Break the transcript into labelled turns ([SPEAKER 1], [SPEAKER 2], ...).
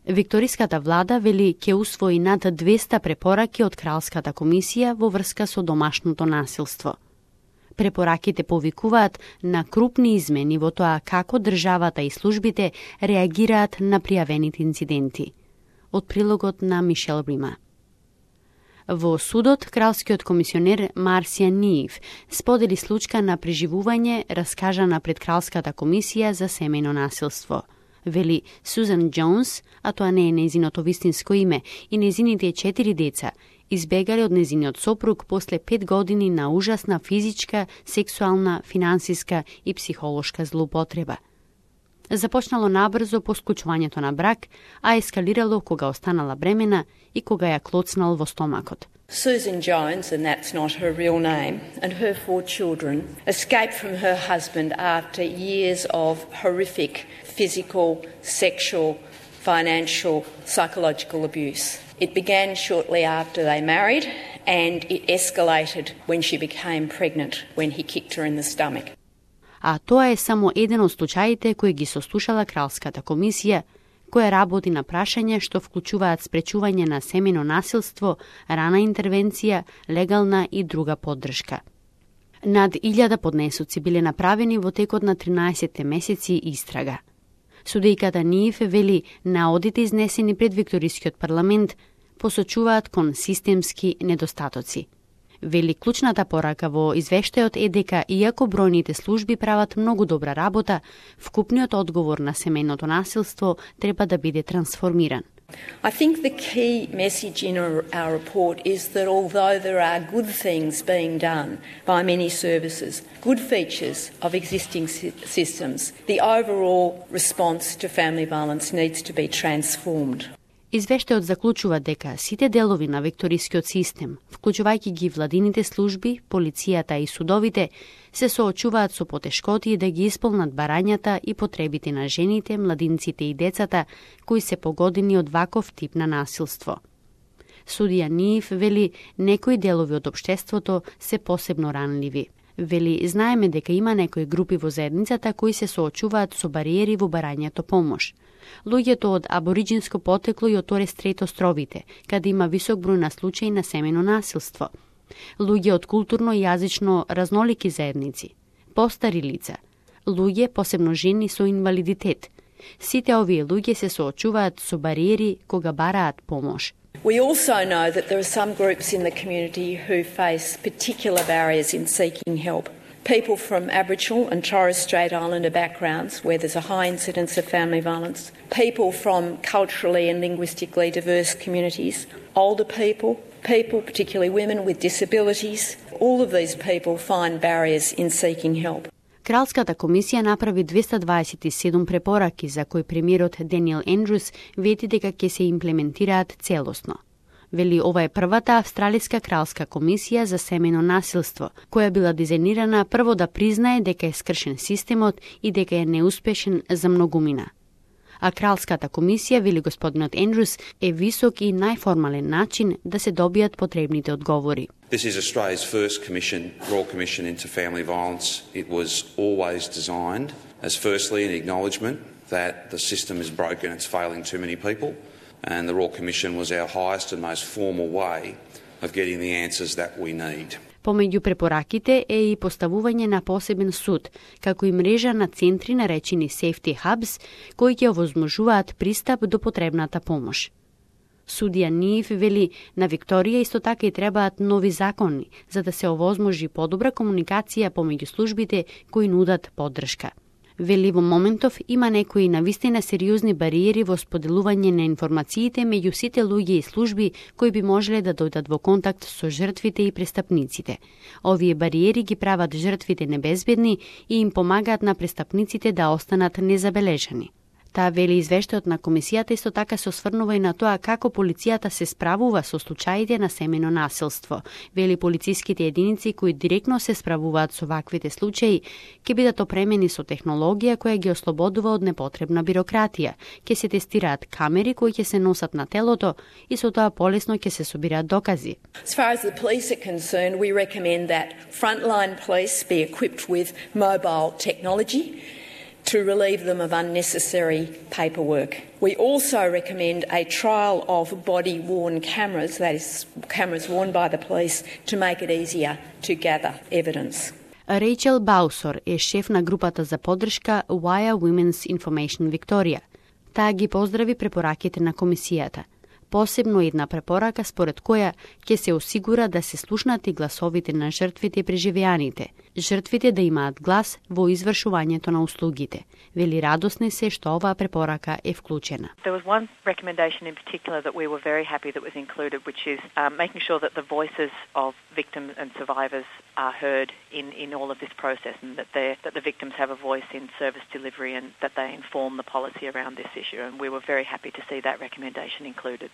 [SPEAKER 1] Викториската влада вели ќе усвои над 200 препораки од Кралската комисија во врска со домашното насилство. Препораките повикуваат на крупни измени во тоа како државата и службите реагираат на пријавените инциденти. Од прилогот на Мишел Рима. Во судот, кралскиот комисионер Марсија Ниев сподели случка на преживување раскажана пред Кралската комисија за семејно насилство. Вели Сузан Джонс, а тоа не е нејзиното вистинско име, и нејзините 4 деца избегали од нејзиниот сопруг после 5 години на ужасна физичка, сексуална, финансиска и психолошка злоупотреба. Започнало набрзо по склучувањето на брак, а ескалирало кога останала бремена и кога ја клоцнал во стомакот.
[SPEAKER 2] Susan Jones, and that's not her real name, and her 4 children escaped from her husband after years of horrific physical, sexual, financial, psychological abuse. It began shortly after they married, and it escalated when she became pregnant, when he kicked her in the stomach.
[SPEAKER 1] А тоа е само еден од случаите кои ги сослушала Кралската комисија, која работи на прашања што вклучуваат спречување на семејно насилство, рана интервенција, легална и друга поддршка. Над 1000 поднесоци биле направени во текот на 13 месеци истрага. Судејката Ниев вели наодите изнесени пред Викторискиот парламент посочуваат кон системски недостатоци. Вели клучната порака во извештајот е дека, иако бројните служби прават многу добра работа, вкупниот одговор на семејното насилство треба да биде трансформиран.
[SPEAKER 2] I think the key message in our report is that although there are good things being done by many services, good features of existing systems, the overall response to family violence needs to be transformed.
[SPEAKER 1] Извештајот заклучува дека сите делови на викторискиот систем, вклучувајќи ги владините служби, полицијата и судовите, се соочуваат со потешкоти да ги исполнат барањата и потребите на жените, младинците и децата кои се погодени од ваков тип на насилство. Судија Ниев вели некои делови од општеството се посебно ранливи. Вели, знаеме дека има некои групи во заедницата кои се соочуваат со бариери во барањето помош. Луѓето од абориџинско потекло и од Торес Стрейт островите, каде има висок број на случаи на семејно насилство. Луѓе од културно и јазично разнолики заедници, постари лица, луѓе, посебно жени со инвалидитет. Сите овие луѓе се соочуваат со бариери кога бараат помош.
[SPEAKER 2] We also know that there are some groups in the community who face particular barriers in seeking help. People from Aboriginal and Torres Strait Islander backgrounds where there's a high incidence of family violence, people from culturally and linguistically diverse communities, older people, particularly women with disabilities, all of these people find barriers in seeking help.
[SPEAKER 1] Кралската комисија направи 227 препораки за кои премиерот Даниел Ендрюс вети дека ќе се имплементираат целосно. Вели ова е првата австралиска кралска комисија за семејно насилство, која била дизајнирана прво да признае дека е скршен системот и дека е неуспешен за многумина. А кралската комисија, вели господинот Ендрюс, е висок и најформален начин да се добијат потребните одговори.
[SPEAKER 3] This is Australia's first Royal Commission into family violence. It was always designed as firstly an acknowledgement that the system is broken, it's failing too many people, and the Royal Commission was our highest and most formal way of getting the answers that we need.
[SPEAKER 1] Помеѓу препораките е и поставување на посебен суд, како и мрежа на центри наречени Safety Hubs, кои ќе овозможуваат пристап до потребната помош. Судија Ниев вели на Викторија исто така и требаат нови закони, за да се овозможи подобра комуникација помеѓу службите кои нудат поддршка. Вели во моментов има некои навистина сериозни бариери во споделување на информациите меѓу сите луѓе и служби кои би можеле да дојдат во контакт со жртвите и престапниците. Овие бариери ги прават жртвите небезбедни и им помагаат на престапниците да останат незабележани. Таа вели извештајот на комисијата исто така се осврнува и на тоа како полицијата се справува со случаите на семејно насилство. Вели полициските единици кои директно се справуваат со ваквите случаи ќе бидат опремени со технологија која ги ослободува од непотребна бирократија. Ќе се тестираат камери кои ќе се носат на телото и со тоа полесно ќе се собираат докази.
[SPEAKER 2] As far as the police are concerned, we recommend that frontline police be equipped with mobile technology to relieve them of unnecessary paperwork. We also recommend a trial of body-worn cameras, that is, cameras worn by the police, to make it easier to gather evidence.
[SPEAKER 1] Rachel Bausor е шеф на групата за поддршка Wire Women's Information Victoria. Таа ги поздрави препораките на комисијата. Посебно една препорака според која ќе се осигура да се слушнати гласовите на жртвите и преживеаните, жртвите да имаат глас во извршувањето на услугите. Вели радосни се што оваа препорака е вклучена.
[SPEAKER 4] There was one recommendation in particular that we were very happy that was included, which is making sure that the voices of victims and survivors are heard in all of this process, and that the victims have a voice in service delivery and that they inform the policy around this issue. And we were very happy to see that recommendation included.